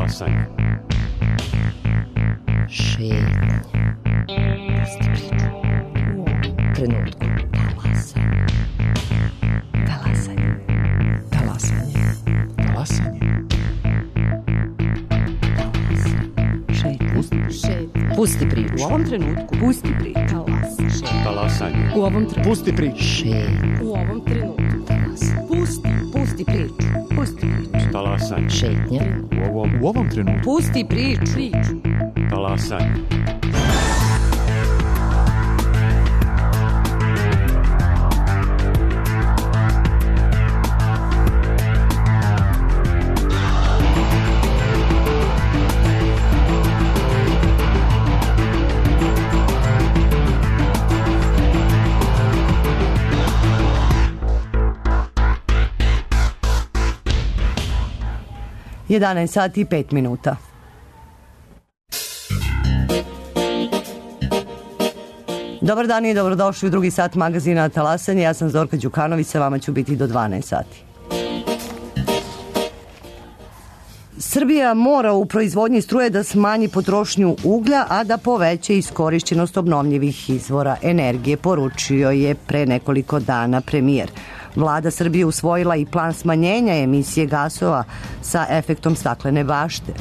Talasanje. Šetnja. Pusti priču. U ovom trenutku. Talasanje. Talasanje. Talasanje. Šetnja. Pusti priču. U ovom trenutku. Pusti priču. Talasanje. U ovom trenutku. Pusti priču. Šetnja. U ovom trenutku. Pusti priču. Pusti priču. Talasanje. Šetnja. U ovom trenutku. Pusti priču. Talasanje. Jedanaest sati i 5 minuta. Dobar dan i dobrodošli u drugi sat magazina Talasanje. Ja sam Zorka Đukanović, sa vama ću biti do 12 sati. Srbija mora u proizvodnji struje da smanji potrošnju uglja, a da poveća iskorišćenost obnovljivih izvora energije, poručio je pre nekoliko dana premijer. Vlada Srbije usvojila i plan smanjenja emisije gasova sa efektom staklene bašte.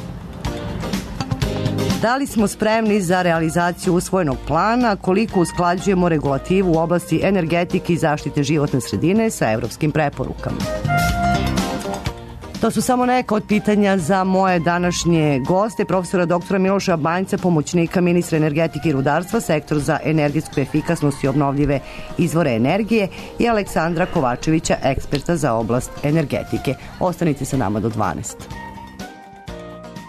Da li smo spremni za realizaciju usvojenog plana, koliko usklađujemo regulativu u oblasti energetike i zaštite životne sredine sa evropskim preporukama? To su samo neka od pitanja za moje današnje goste, profesora doktora Miloša Banjca, pomoćnika ministra energetike i rudarstva, sektor za energetsku efikasnost i obnovljive izvore energije, i Aleksandra Kovačevića, eksperta za oblast energetike. Ostanite sa nama do 12.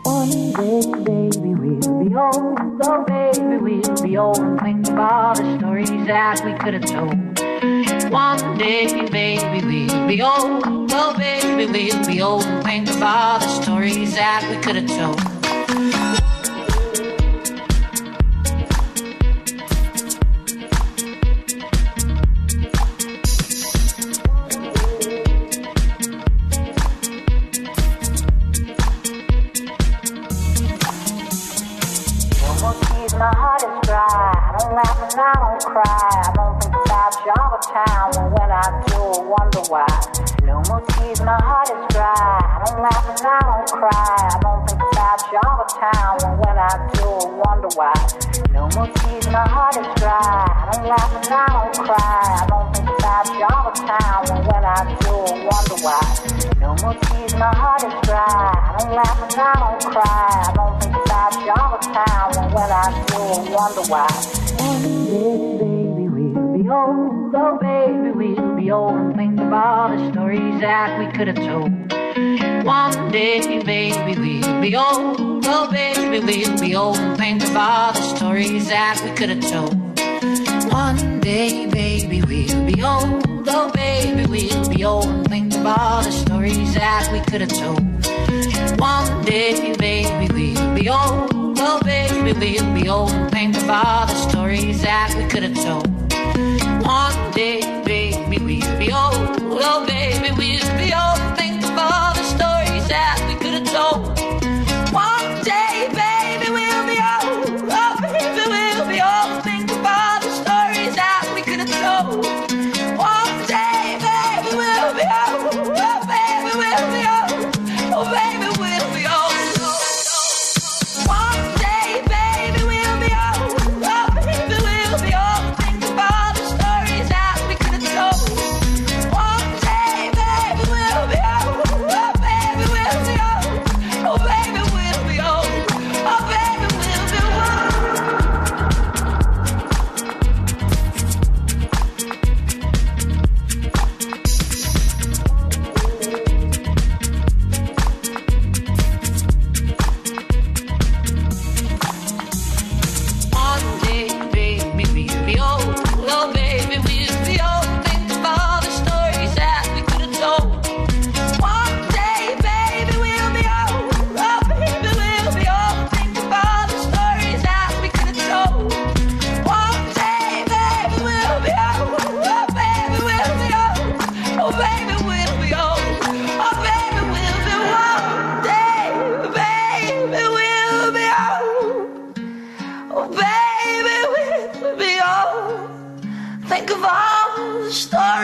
One day, baby, we'll be old. Oh, baby, we'll be old. And think of all the stories that we could have told. One day, baby, we'll be old. Oh, baby, we'll be old. And think of all the stories that we could have told. My heart is dry, I don't laugh and I don't cry. I don't think about you all the time, and when I do, I wonder why. No more tears, my heart is dry, I don't laugh and I don't cry. I don't think about you all the time, and when I do, I wonder why. No more tears, my heart is dry, I don't laugh and I don't cry. I don't think about you all the time, and when I do, I wonder why. No more tears, my heart is dry, I don't laugh and I don't cry. I don't think about you all the time, and when I do, I wonder why. One day, baby, we'll be old. Oh, baby, we'll be old. And think of all the stories that we could have told. One day, baby, we'll be old. Oh, baby, we'll be old. And think of all the stories that we could have told. One day, baby, we'll be old. Oh, baby, we'll be old. And think of all the stories that we could have told. One day, baby, we'll be old. Oh, baby, we'll be old. And think of all the stories that we could have told. One day, baby, we'll be old. Oh, baby, we'll be old. And think of all the stories that we could have told. One day, baby, we'll be old. Oh, baby, we'll be old. And think of all the stories that we could have told. One day, baby, we'll be old. Oh, baby, we'll be old. Oh, baby, we'll be old. One day,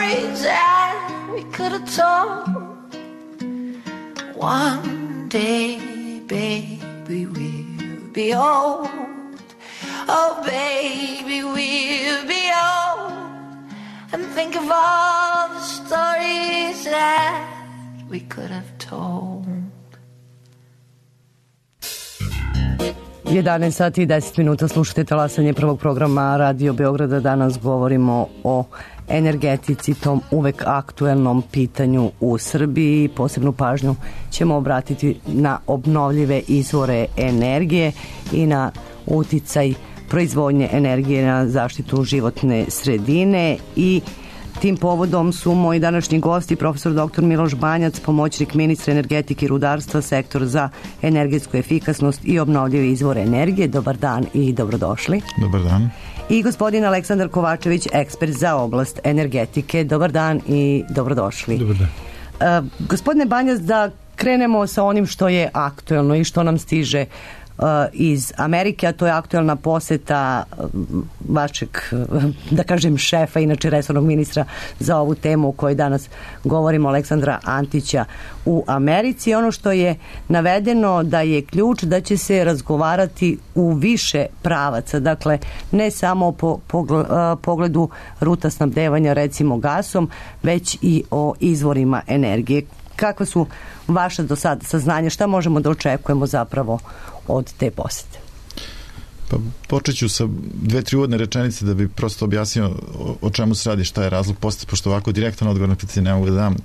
stories that we could have told. One day, baby, we'll be old. Oh, baby, we'll be old. And think of all the stories that we could have told. 11 sati i 10 minuta slušate talasanje prvog programa Radio Beograda. Danas govorimo o energetici, tom uvek aktuelnom pitanju u Srbiji. Posebnu pažnju ćemo obratiti na obnovljive izvore energije i na uticaj proizvodnje energije na zaštitu životne sredine. I tim povodom su moji današnji gosti profesor dr. Miloš Banjac, pomoćnik ministra energetike i rudarstva, sektor za energetsku efikasnost i obnovljive izvore energije. Dobar dan i dobrodošli. Dobar dan. I gospodin Aleksandar Kovačević, ekspert za oblast energetike. Dobar dan i dobrodošli. Dobar dan. Gospodine Banjac, da krenemo sa onim što je aktuelno i što nam stiže iz Amerike, a to je aktuelna poseta vašeg, da kažem, šefa, inače resornog ministra za ovu temu o kojoj danas govorimo, Aleksandra Antića u Americi. Ono što je navedeno da je ključ da će se razgovarati u više pravaca, dakle ne samo po pogledu ruta snabdevanja recimo gasom, već i o izvorima energije. Kakva su vaša do sada saznanja, šta možemo da očekujemo zapravo od te posete? Pa počet ću sa 2-3 uvodne rečenice da bi prosto objasnio o čemu se radi, šta je razlog posete, pošto ovako direktan odgovor na pitanje ne mogu da dam.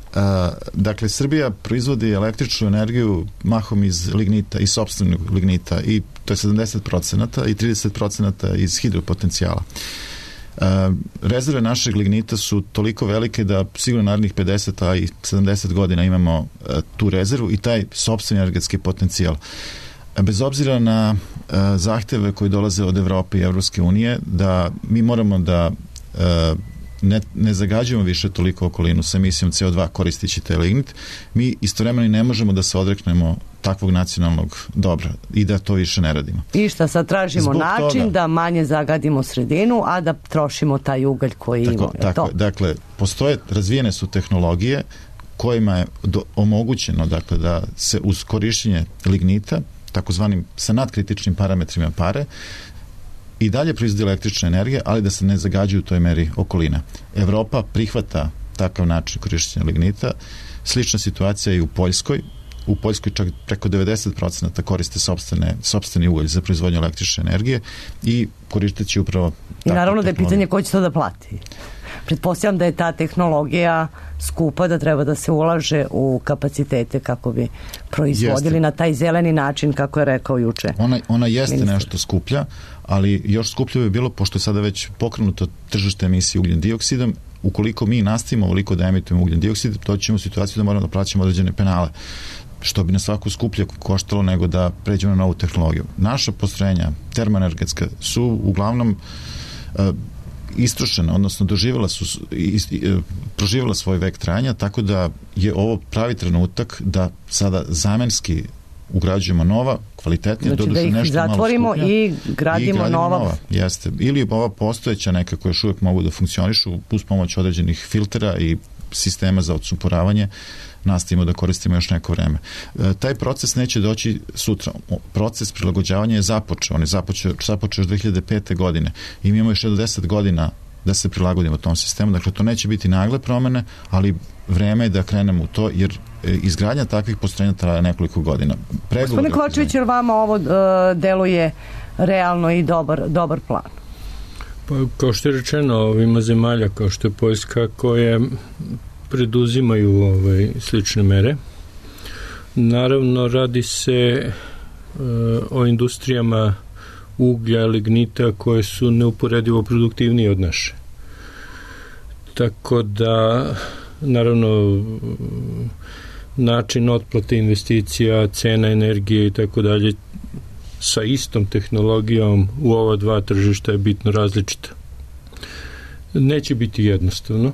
Dakle, Srbija proizvodi električnu energiju mahom iz lignita, iz sopstvenog lignita, i to je 70% i 30% iz hidropotencijala. Rezerve našeg lignita su toliko velike da sigurno narednih 50 a i 70 godina imamo tu rezervu i taj sopstveni energetski potencijal. Bez obzira na zahteve koji dolaze od Evrope i Evropske unije, da mi moramo da ne zagađujemo više toliko okolinu sa emisijom CO2 koristići taj lignit, mi istovremeno ne možemo da se odreknemo takvog nacionalnog dobra i da to više ne radimo. I šta sad tražimo Zbog način toga, da manje zagadimo sredinu, a da trošimo taj ugalj koji imamo. Tako, dakle, razvijene su tehnologije kojima je omogućeno, dakle, da se uz korišćenje lignita, takozvanim sa nadkritičnim parametrima pare, i dalje proizvodi električna energija, ali da se ne zagađuju u toj meri okolina. Evropa prihvata takav način korišćenja lignita. Slična situacija je i u Poljskoj. U Poljskoj čak preko 90% koriste sopstveni ugalj za proizvodnju električne energije i koristeći upravo i naravno da je pitanje ko će to da plati. Pretpostavljam da je ta tehnologija skupa, da treba da se ulaže u kapacitete kako bi proizvodili na taj zeleni način, kako je rekao juče. Ona jeste nešto skuplja, ali još skuplje bi bilo, pošto je sada već pokrenuto tržište emisije ugljen dioksidom, ukoliko mi nastavimo ovoliko da emitujemo ugljen dioksid, to ćemo u situaciju da moramo da plaćamo određene penale, što bi nas svako skuplje koštalo nego da pređemo na novu tehnologiju. Naša postrojenja termoenergetska su uglavnom istrošena, odnosno proživjela svoj vek trajanja, tako da je ovo pravi trenutak da sada zamenski ugrađujemo nova, kvalitetnija, znači da ih zatvorimo i gradimo nova. Jeste. Ili ova postojeća neka koja još uvijek mogu da funkcionišu uz pomoć određenih filtera i sistema za odsumporavanje, nastavimo da koristimo još neko vreme. Taj proces neće doći sutra. Proces prilagođavanja je započeo. On je započeo još 2005. godine. I mi imamo još 10 godina da se prilagodimo tom sistemu. Dakle, to neće biti nagle promene, ali vreme je da krenemo u to, jer izgradnja takvih postrojenja traje nekoliko godina. Gospodine Kovačević, jer vama ovo deluje realno i dobar plan? Pa, kao što je rečeno, ima zemalja kao što je Poljska koje preduzimaju slične mere. Naravno, radi se o industrijama uglja, lignita koje su neuporedivo produktivnije od naše. Tako da, naravno, način otplate investicija, cena energije i tako dalje sa istom tehnologijom u ova dva tržišta je bitno različita. Neće biti jednostavno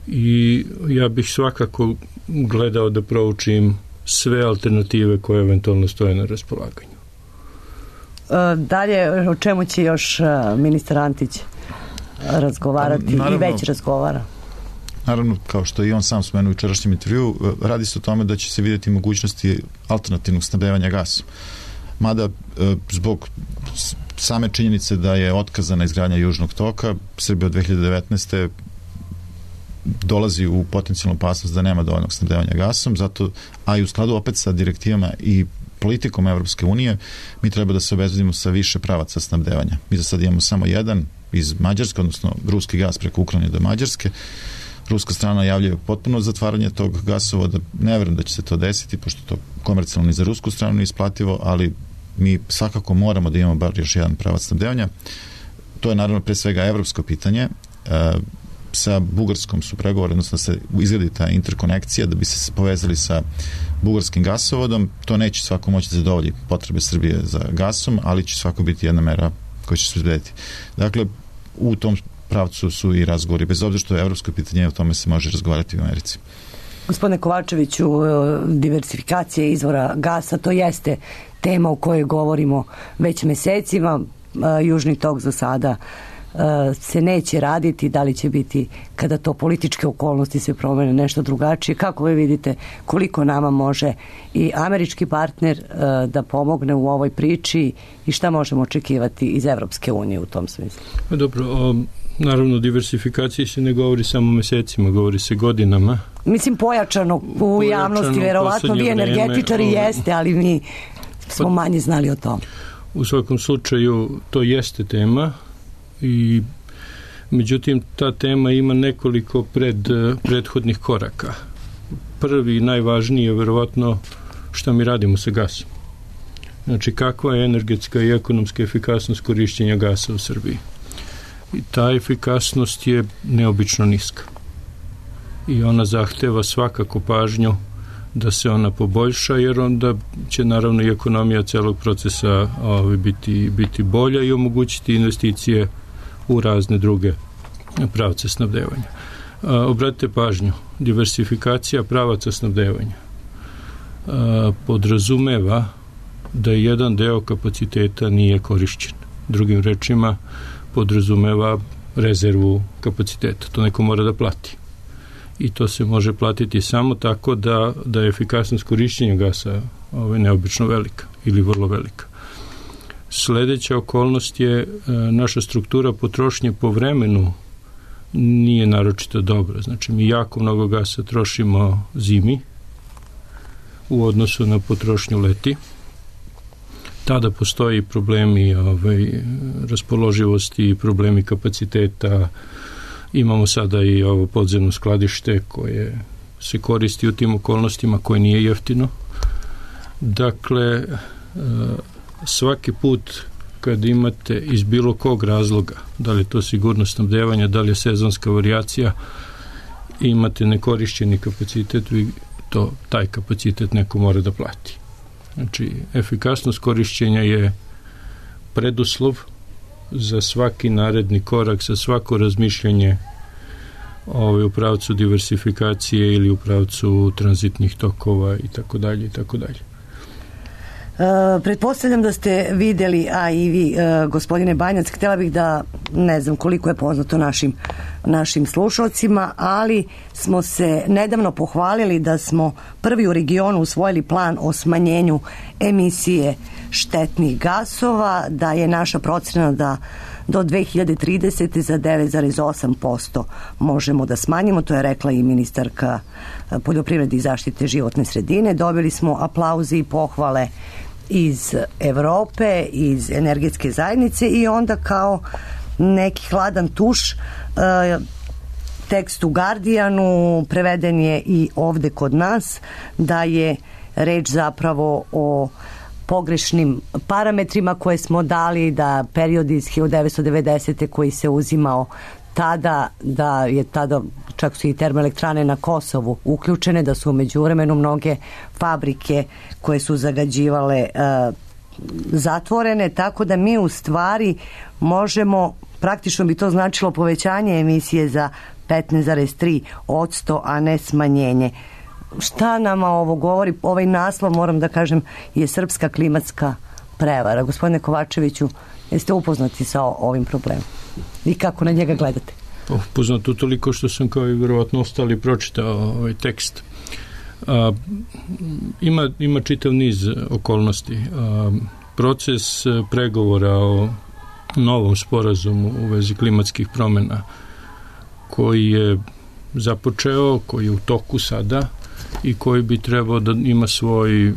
i ja bih svakako gledao da proučim sve alternative koje eventualno stoje na raspolaganju. Dalje, o čemu će još ministar Antić razgovarati? Naravno, i već razgovara? naravno, kao što i on sam spomenuo u jučerašnjem intervju, radi se o tome da će se vidjeti mogućnosti alternativnog snabdevanja gasom. Mada, zbog same činjenice da je otkazana izgradnja Južnog toka, Srbija od 2019. dolazi u potencijalnu opasnost da nema dovoljnog snabdevanja gasom, zato, a i u skladu opet sa direktivama i politikom Evropske unije, mi treba da se obezbedimo sa više pravaca snabdevanja. Mi za sad imamo samo jedan iz Mađarske, odnosno ruski gas preko Ukrajine do Mađarske. Ruska strana najavljuje potpuno zatvaranje tog gasovoda. Ne verujem da će se to desiti, pošto to komercijalno ni za rusku stranu isplativo, ali mi svakako moramo da imamo bar još jedan pravac snabdevanja. To je naravno pre svega evropsko pitanje. Sa Bugarskom su pregovori, odnosno da se izgradi ta interkonekcija da bi se povezali sa bugarskim gasovodom. To neće svako moći da zadovolji potrebe Srbije za gasom, ali će svako biti jedna mera koja će se izgledati. Dakle, u tom pravcu su i razgovori, bez obzira što je evropsko pitanje, o tome se može razgovarati u Americi. Gospodine Kovačeviću, diversifikacija izvora gasa, to jeste tema o kojoj govorimo već mesecima. Južni tok za sada se neće raditi, da li će biti kada to političke okolnosti se promene nešto drugačije. Kako vi vidite koliko nama može i američki partner da pomogne u ovoj priči i šta možemo očekivati iz Evropske unije u tom smislu? Dobro, naravno diversifikaciji se ne govori samo mesecima, govori se godinama. Mislim pojačano u javnosti, verovatno vi energetičari jeste, ali mi smo manje znali o tom. U svakom slučaju to jeste tema i međutim ta tema ima nekoliko prethodnih koraka. Prvi i najvažniji je verovatno šta mi radimo sa gasom. Znači kakva je energetska i ekonomska efikasnost korišćenja gasa u Srbiji. I ta efikasnost je neobično niska. I ona zahteva svakako pažnju da se ona poboljša, jer onda će naravno i ekonomija celog procesa biti bolja i omogućiti investicije u razne druge pravce snabdevanja. Obratite pažnju, diversifikacija pravaca snabdevanja podrazumeva da jedan deo kapaciteta nije korišćen. Drugim rečima, podrazumeva rezervu kapaciteta. To neko mora da plati. I to se može platiti samo tako da je efikasnost korišćenja gasa neobično velika ili vrlo velika. Sledeća okolnost je naša struktura potrošnje po vremenu nije naročito dobra. Znači, mi jako mnogo gasa trošimo zimi u odnosu na potrošnju leti. Tada postoji problemi raspoloživosti, problemi kapaciteta. Imamo sada i ovo podzemno skladište koje se koristi u tim okolnostima, koje nije jeftino. Dakle, svaki put kad imate iz bilo kog razloga, da li je to sigurnost snabdevanja, da li je sezonska varijacija, imate nekorišćeni kapacitet, taj kapacitet neko mora da plati. Znači, efikasnost korišćenja je preduslov za svaki naredni korak, za svako razmišljanje u pravcu diversifikacije ili u pravcu tranzitnih tokova i tako dalje i tako dalje. Pretpostavljam da ste videli, a i vi, gospodine Banjac, htjela bih da, ne znam koliko je poznato našim slušalcima, ali smo se nedavno pohvalili da smo prvi u regionu usvojili plan o smanjenju emisije štetnih gasova, da je naša procena da do 2030. za 9,8% možemo da smanjimo, to je rekla i ministarka poljoprivrede i zaštite životne sredine. Dobili smo aplauze i pohvale iz Evrope, iz energetske zajednice i onda kao neki hladan tuš tekst u Guardianu preveden je i ovde kod nas, da je reč zapravo o pogrešnim parametrima koje smo dali, da period iz 1990. koji se uzimao tada, da je tada čak su i termoelektrane na Kosovu uključene, da su u međuvremenu mnoge fabrike koje su zagađivale zatvorene, tako da mi u stvari možemo, praktično bi to značilo povećanje emisije za 15,3%, a ne smanjenje. Šta nama ovo govori? Ovaj naslov, moram da kažem, je srpska klimatska prevara. Gospodine Kovačeviću, jeste upoznati sa ovim problemom? I kako na njega gledate? Poznato toliko što sam kao i verovatno ostali pročitao ovaj tekst. Ima čitav niz okolnosti. Proces pregovora o novom sporazumu u vezi klimatskih promjena koji je započeo, koji je u toku sada i koji bi trebao da ima svoj,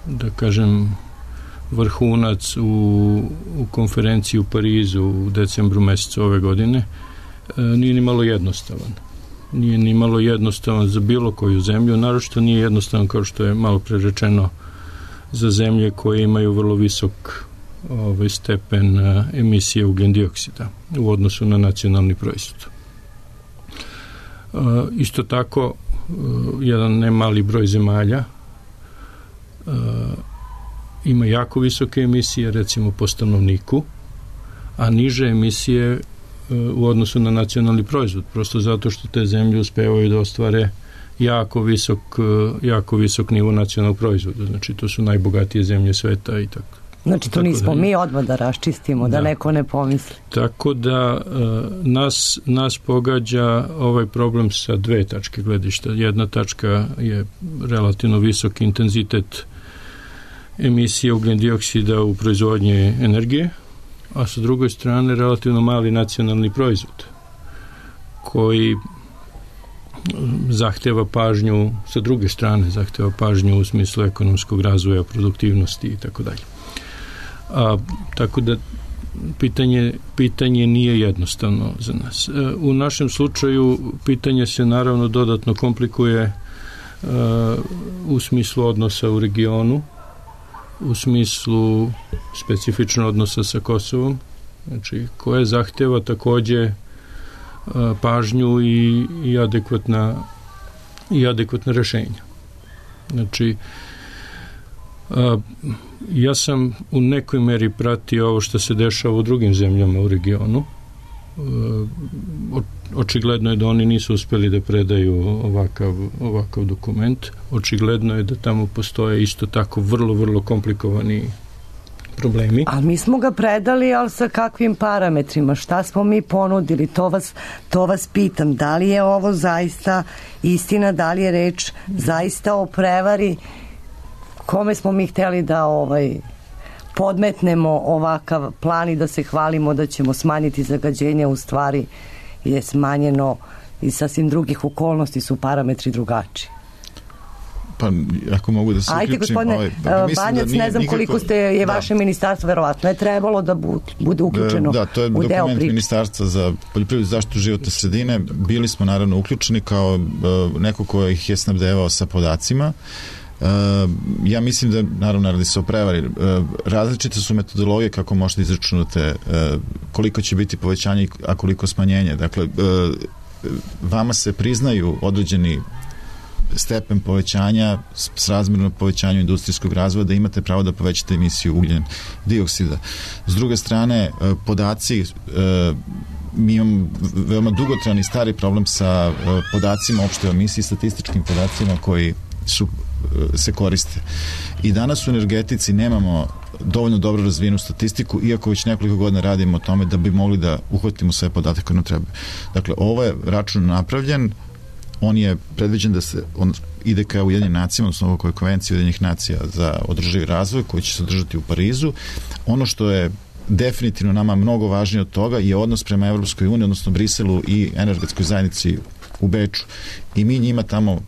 da kažem, vrhunac u konferenciji u Parizu u decembru mesecu ove godine, nije ni malo jednostavan. Nije ni malo jednostavan za bilo koju zemlju, naročito nije jednostavan, kao što je malo pre rečeno, za zemlje koje imaju vrlo visok stepen emisije ugljendioksida u odnosu na nacionalni proizvod. Isto tako, jedan nemali broj zemalja ima jako visoke emisije, recimo po stanovniku, a niže emisije u odnosu na nacionalni proizvod, prosto zato što te zemlje uspevaju da ostvare jako visok nivo nacionalnog proizvoda. Znači, to su najbogatije zemlje sveta i tako. Znači, to nismo mi odmah da raščistimo, da neko ne pomisli. Tako da nas pogađa ovaj problem sa dve tačke gledišta. Jedna tačka je relativno visok intenzitet emisije ugljendioksida u proizvodnji energije, a sa druge strane relativno mali nacionalni proizvod koji zahteva pažnju, sa druge strane zahteva pažnju u smislu ekonomskog razvoja, produktivnosti i tako dalje. Tako da pitanje nije jednostavno za nas. U našem slučaju pitanje se naravno dodatno komplikuje u smislu odnosa u regionu, u smislu specifično odnosa sa Kosovom, znači koje zahteva takođe pažnju i adekvatna rešenja. Znači, ja sam u nekoj meri pratio ovo što se dešava u drugim zemljama u regionu. Očigledno je da oni nisu uspeli da predaju ovakav dokument. Očigledno je da tamo postoje isto tako vrlo, vrlo komplikovani problemi. Ali mi smo ga predali, ali sa kakvim parametrima? Šta smo mi ponudili? To vas pitam. Da li je ovo zaista istina? Da li je reč zaista o prevari? Kome smo mi hteli da podmetnemo ovakav plan i da se hvalimo da ćemo smanjiti zagađenje, u stvari je smanjeno i sasvim drugih okolnosti su parametri drugačiji. Pa, ako mogu da se uključim... Ajde, gospodine Banjac, ne znam koliko je vaše ministarstvo, verovatno je trebalo da bude uključeno u deo priče. Da, to je dokument Ministarstva za poljoprivredu i zaštitu životne sredine. Bili smo naravno uključeni kao neko ko ih je snabdevao sa podacima. Ja mislim da naravno radi se o prevari. Različite su metodologije kako možete izračunati koliko će biti povećanje, a koliko smanjenje. Dakle, vama se priznaju određeni stepen povećanja s razmjerno povećanju industrijskog razvoja, da imate pravo da povećate emisiju ugljen dioksida. S druge strane, podaci, mi imamo veoma dugotrajni stari problem sa podacima opšte emisiji, statističkim podacima koji se koriste. I danas u energetici nemamo dovoljno dobro razvijenu statistiku, iako već nekoliko godina radimo o tome da bi mogli da uhvatimo sve podatke koje nam treba. Dakle, ovo je račun napravljen, on je predviđen da on ide ka Ujedinjenim nacijama, odnosno ovoj konvenciji Ujedinjenih nacija za održivi razvoj, koji će se održati u Parizu. Ono što je definitivno nama mnogo važnije od toga je odnos prema Evropskoj uniji, odnosno Briselu i energetskoj zajednici u Beču. I mi njima tamo,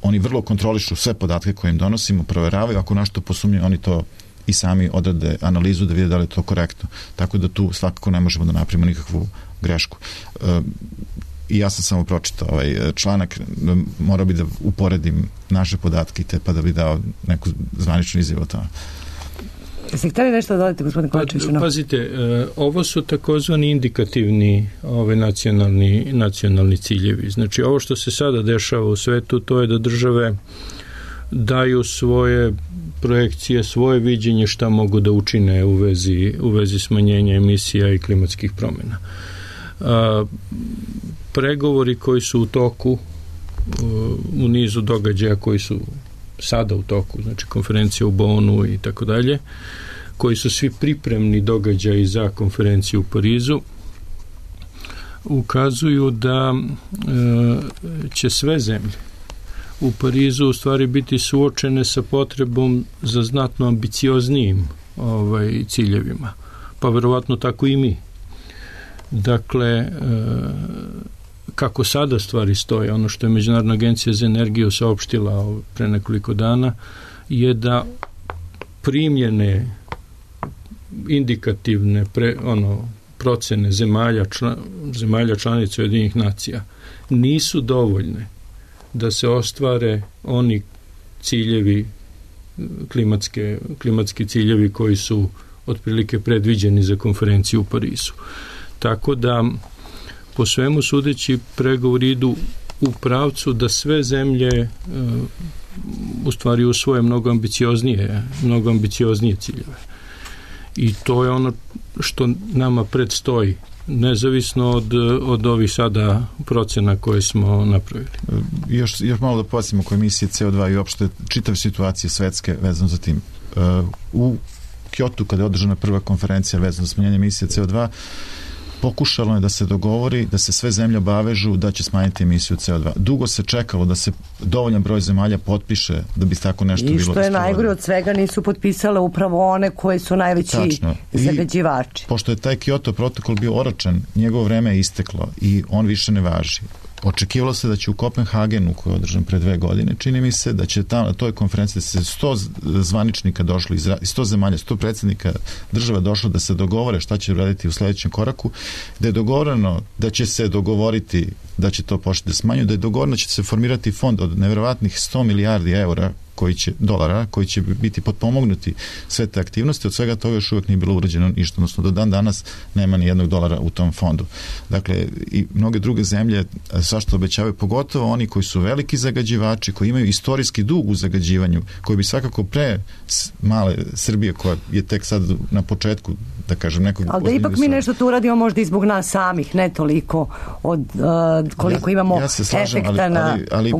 oni vrlo kontrolišu sve podatke koje im donosimo, proveravaju, ako našto posumnju, oni to i sami odrade analizu da vide da li je to korektno. Tako da tu svakako ne možemo da napravimo nikakvu grešku. I ja sam samo pročitao ovaj članak, morao bi da uporedim naše podatke pa da bi dao neku zvaničnu izjavu o tome. Jeste hteli nešto da dodate, gospodine Kovačević? Pazite, ovo su takozvani indikativni nacionalni ciljevi. Znači, ovo što se sada dešava u svetu, to je da države daju svoje projekcije, svoje viđenje šta mogu da učine u vezi smanjenja emisija i klimatskih promjena. Pregovori koji su u toku u nizu događaja koji su sada u toku, znači konferencija u Bonu i tako dalje, koji su svi pripremni događaji za konferenciju u Parizu, ukazuju da će sve zemlje u Parizu u stvari biti suočene sa potrebom za znatno ambicioznijim ciljevima, pa verovatno tako i mi. Dakle, kako sada stvari stoje, ono što je Međunarodna agencija za energiju saopštila pre nekoliko dana, je da primljene indikativne procene zemalja članica Ujedinjenih nacija nisu dovoljne da se ostvare oni ciljevi, klimatski ciljevi koji su otprilike predviđeni za konferenciju u Parizu. Tako da, po svemu sudeći, pregovori idu u pravcu da sve zemlje u stvari usvoje mnogo ambicioznije ciljeve. I to je ono što nama predstoji, nezavisno od ovih sada procena koje smo napravili. Još malo da podsjetimo oko emisije CO2 i uopšte čitav situacije svetske vezano za tim. U Kyotu, kada je održana prva konferencija vezano za smanjenje emisije CO2, pokušalo je da se dogovori da se sve zemlje obavežu da će smanjiti emisiju CO2. Dugo se čekalo da se dovoljan broj zemalja potpiše da bi tako nešto bilo. I što je najgore od svega, nisu potpisale upravo one koje su najveći zagađivači. Pošto je taj Kyoto protokol bio oročen, njegovo vreme je isteklo i on više ne važi. Očekivalo se da će u Kopenhagenu, koji je održan pre 2 godine, čini mi se da će tamo na toj konferenciji da se 100 zvaničnika došlo, 100 zemalja, 100 predsjednika država došlo da se dogovore šta će uraditi u sledećem koraku, da je dogovoreno da će se dogovoriti da će to početi da smanju, da je dogovoreno da će se formirati fond od nevjerovatnih 100 milijardi dolara koji će biti potpomognuti sve te aktivnosti. Od svega toga još uvijek nije bilo urađeno ništa, odnosno do dan danas nema ni $1 u tom fondu. Dakle, i mnoge druge zemlje svašta obećavaju, pogotovo oni koji su veliki zagađivači, koji imaju istorijski dug u zagađivanju, koji bi svakako pre male Srbije, koja je tek sad na početku, da kažem, nekog... Ali da ipak mi nešto tu uradimo možda i zbog nas samih, ne toliko od koliko imamo efekta ali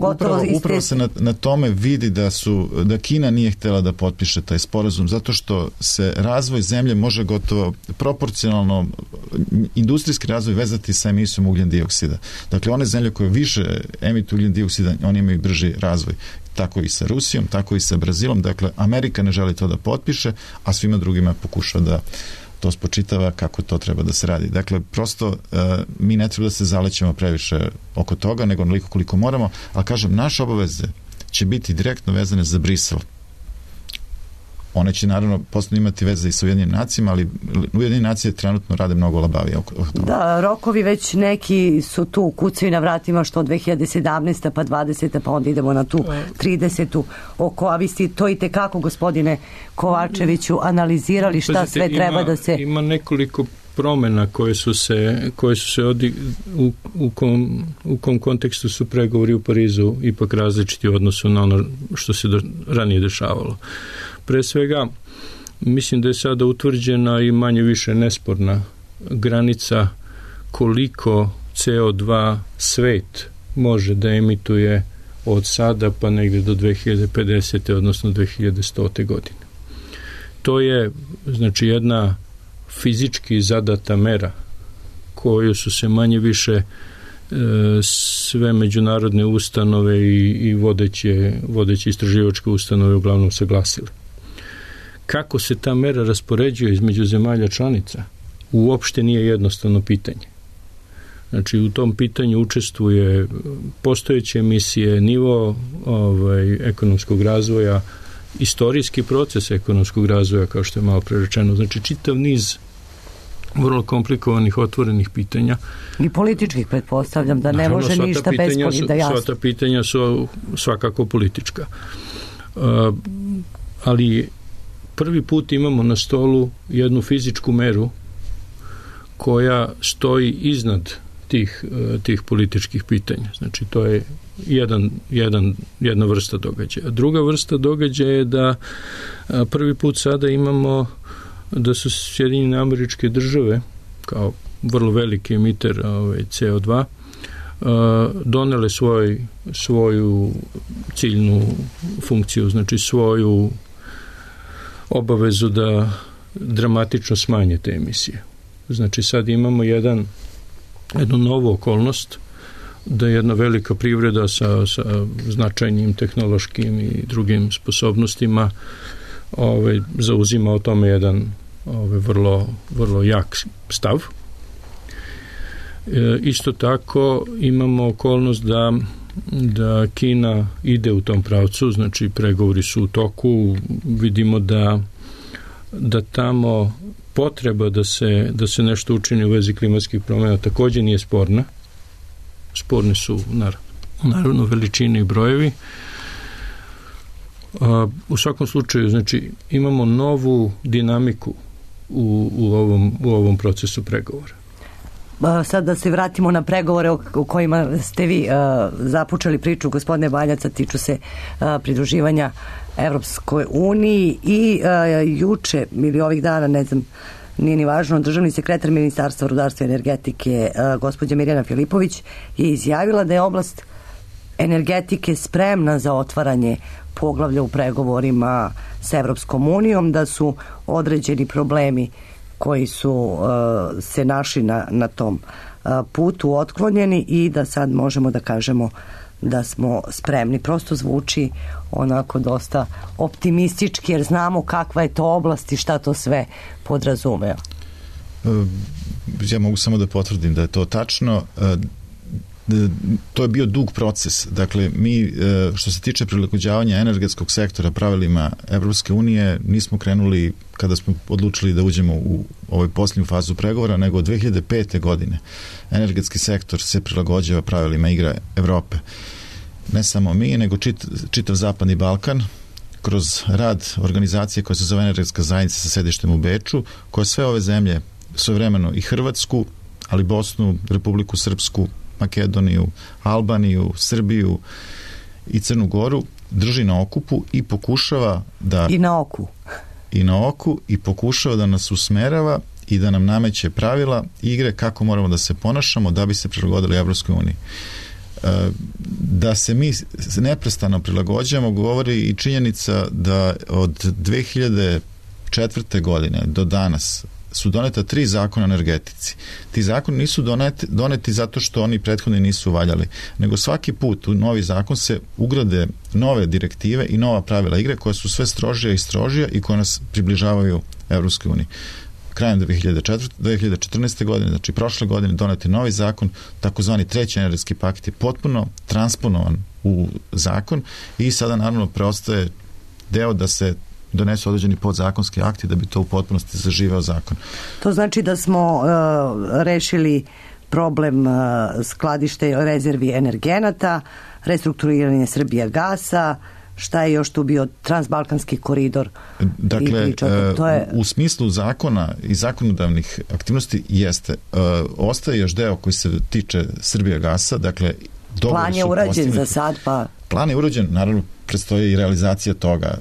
upravo se na tome vidi da Kina nije htjela da potpiše taj sporazum, zato što se razvoj zemlje može gotovo proporcionalno industrijski razvoj vezati sa emisijom ugljen dioksida. Dakle, one zemlje koje više emituju ugljen dioksida, oni imaju brži razvoj. Tako i sa Rusijom, tako i sa Brazilom. Dakle, Amerika ne želi to da potpiše, a svima drugima pokušava da to spočitava kako to treba da se radi. Dakle, prosto mi ne treba da se zalećemo previše oko toga, nego onoliko koliko moramo, ali kažem, naše obaveze će biti direktno vezane za Brisel. One će naravno posle imati veze i sa Ujedinjenim nacijama, ali Ujedinjene nacije trenutno rade mnogo labavije oko toga. Da, rokovi već neki su tu, kucaju na vratima, što 2017. pa 20. pa onda idemo na tu 30. a vi ste to i tekako, gospodine Kovačeviću, analizirali šta sve treba da se... Ima nekoliko promena koje su se u kom kontekstu su pregovori u Parizu ipak različiti u odnosu na ono što se ranije dešavalo. Pre svega, mislim da je sada utvrđena i manje više nesporna granica koliko CO2 svet može da emituje od sada pa negde do 2050. odnosno 2100. godine. To je, znači, jedna fizički zadata mera koju su se manje više sve međunarodne ustanove i vodeće istraživačke ustanove uglavnom saglasile. Kako se ta mera raspoređuje između zemalja članica uopšte nije jednostavno pitanje. Znači, u tom pitanju učestvuje postojeće emisije, nivo ekonomskog razvoja, istorijski proces ekonomskog razvoja, kao što je malo pre rečeno. Znači, čitav niz vrlo komplikovanih, otvorenih pitanja. I političkih, pretpostavljam, da ne može ništa bez da jasno. Sva ta pitanja su svakako politička. Ali prvi put imamo na stolu jednu fizičku meru koja stoji iznad tih političkih pitanja. Znači, to je jedna vrsta događaja. Druga vrsta događaja je da prvi put sada imamo da su Sjedinjene Američke Države kao vrlo veliki emiter CO2 donele svoju ciljnu funkciju, znači svoju obavezu da dramatično smanje te emisije. Znači, sad imamo jedan jednu novu okolnost da jedna velika privreda sa značajnim tehnološkim i drugim sposobnostima zauzima o tome jedan vrlo jak stav. Isto tako imamo okolnost da Kina ide u tom pravcu, znači pregovori su u toku, vidimo da tamo potreba da se nešto učini u vezi klimatskih promjena također nije sporna. Sporni su naravno veličine i brojevi. U svakom slučaju, znači, imamo novu dinamiku u ovom procesu pregovora. Sad da se vratimo na pregovore o kojima ste vi započeli priču, gospodine Baljaca, tiču se pridruživanja Evropskoj uniji i juče ili ovih dana, ne znam, nije ni važno, državni sekretar Ministarstva rudarstva i energetike gospođa Mirjana Filipović je izjavila da je oblast energetike spremna za otvaranje poglavlja u pregovorima s Evropskom unijom, da su određeni problemi koji su se našli na tom putu otklonjeni i da sad možemo da kažemo da smo spremni. Prosto zvuči onako dosta optimistički, jer znamo kakva je to oblast i šta to sve podrazumeva. Ja mogu samo da potvrdim da je to tačno. To je bio dug proces. Dakle, mi što se tiče prilagođavanja energetskog sektora pravilima Evropske unije nismo krenuli kada smo odlučili da uđemo u ovoj posljednju fazu pregovora, nego od 2005. godine energetski sektor se prilagođava pravilima igre Evrope. Ne samo mi, nego čitav Zapadni Balkan, kroz rad organizacije koja se zove Energetska zajednica sa sedištem u Beču, koja sve ove zemlje, svojevremeno i Hrvatsku, ali Bosnu, Republiku Srpsku, Makedoniju, Albaniju, Srbiju i Crnu Goru drži na okupu i pokušava da... I na oku i pokušava da nas usmerava i da nam nameće pravila igre kako moramo da se ponašamo da bi se prilagodili Evropskoj uniji. Da se mi neprestano prilagođavamo govori i činjenica da od 2004. godine do danas su doneta 3 zakona o energetici. Ti zakoni nisu doneti zato što oni prethodni nisu valjali, nego svaki put u novi zakon se ugrade nove direktive i nova pravila igre koja su sve strožija i strožija i koja nas približavaju Evropskoj uniji. Krajem 2014. godine, znači prošle godine, donet je novi zakon, takozvani treći energetski paket je potpuno transponovan u zakon i sada naravno preostaje deo da se donesu određeni podzakonski akti da bi to u potpunosti zaživeo zakon. To znači da smo rešili problem skladište rezervi energenata, restrukturiranje Srbijagasa, šta je još tu bio transbalkanski koridor? Dakle, u smislu zakona i zakonodavnih aktivnosti jeste. Ostaje još deo koji se tiče Srbijagasa, dakle, plan je urađen za sad, pa... Plan je urađen, naravno, predstoji i realizacija toga.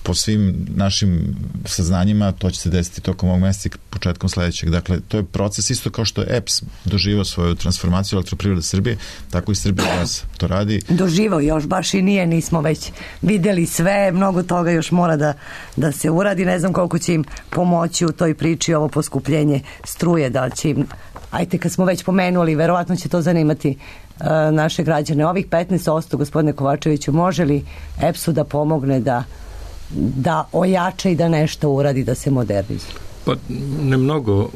Po svim našim saznanjima to će se desiti tokom ovog meseca i početkom sledećeg. Dakle, to je proces isto kao što je EPS doživao svoju transformaciju Elektroprivrede Srbije, tako i Srbijagas to radi. Doživao još baš i nije, nismo već videli sve, mnogo toga još mora da se uradi, ne znam koliko će im pomoći u toj priči ovo poskupljenje struje, da će im, ajte kad smo već pomenuli, verovatno će to zanimati naše građane. Ovih 15%, gospodine Kovačeviću, može li EPS-u da pomogne da ojača i da nešto uradi, da se modernizuje? Pa ne mnogo.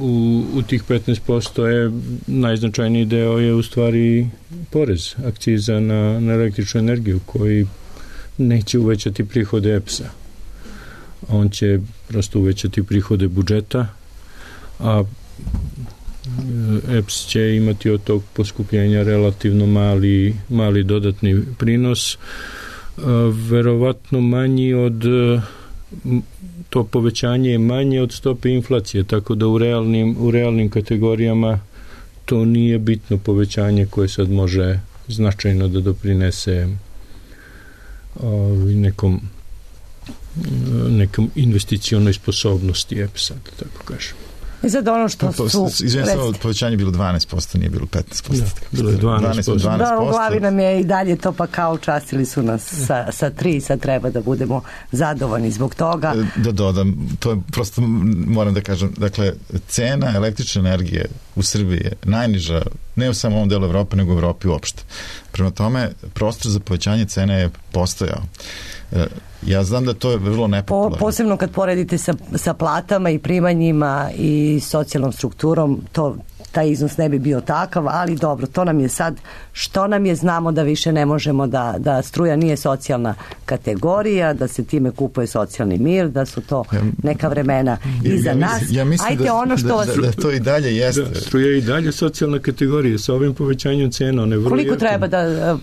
U tih 15% je najznačajniji deo je u stvari porez, akciza na električnu energiju koji neće uvećati prihode EPS-a. On će prosto uvećati prihode budžeta, a EPS će imati od tog poskupljenja relativno mali dodatni prinos, verovatno manji od to povećanje je manje od stope inflacije, tako da u realnim kategorijama to nije bitno povećanje koje sad može značajno da doprinese nekom investicionoj sposobnosti EPS-a, da tako kažem. I sad ono što su... Izvijem samo, povećanje je bilo 12%, nije bilo 15%. Bilo je 12%. Da, u glavi nam je i dalje to, pa kao častili su nas sa 3, sad treba da budemo zadovoljni zbog toga. Da dodam, to je prosto, moram da kažem, dakle, cena električne energije u Srbiji je najniža, ne u samo ovom delu Evrope, nego u Evropi uopšte. Prema tome, prostor za povećanje cene je postojao. Ja znam da to je vrlo nepopularno. Posebno kad poredite sa platama i primanjima i socijalnom strukturom, taj iznos ne bi bio takav, ali dobro, to nam je sad, što nam je, znamo da više ne možemo da struja nije socijalna kategorija, da se time kupuje socijalni mir, da su to neka vremena iza nas. Ja mislim ajde, da to i dalje jeste. Da, struja je i dalje socijalna kategorija sa ovim povećanjem cena. Koliko treba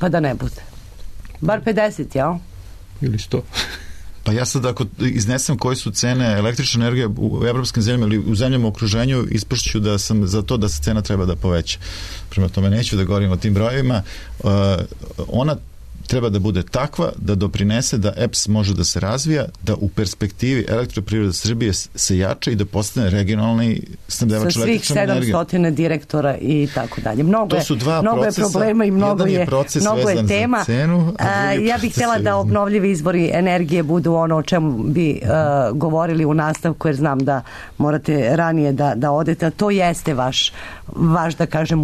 da ne bude? Bar 50, jel? Ili 100. Pa ja sad ako iznesem koje su cene električne energije u evropskim zemljama ili u zemljama u okruženju, ispašću da sam za to da se cena treba da poveća. Prema tome neću da govorim o tim brojevima. Ona treba da bude takva da doprinese da EPS može da se razvija, da u perspektivi Elektroprivreda Srbije se jača i da postane regionalni snabdevač električnom energijom. Sa svih 700 direktora i tako dalje. Mnogo je problema i mnogo je tema. Ja bih htjela da obnovljivi izvori energije budu ono o čemu bi govorili u nastavku, jer znam da morate ranije da odete. To jeste vaš da kažem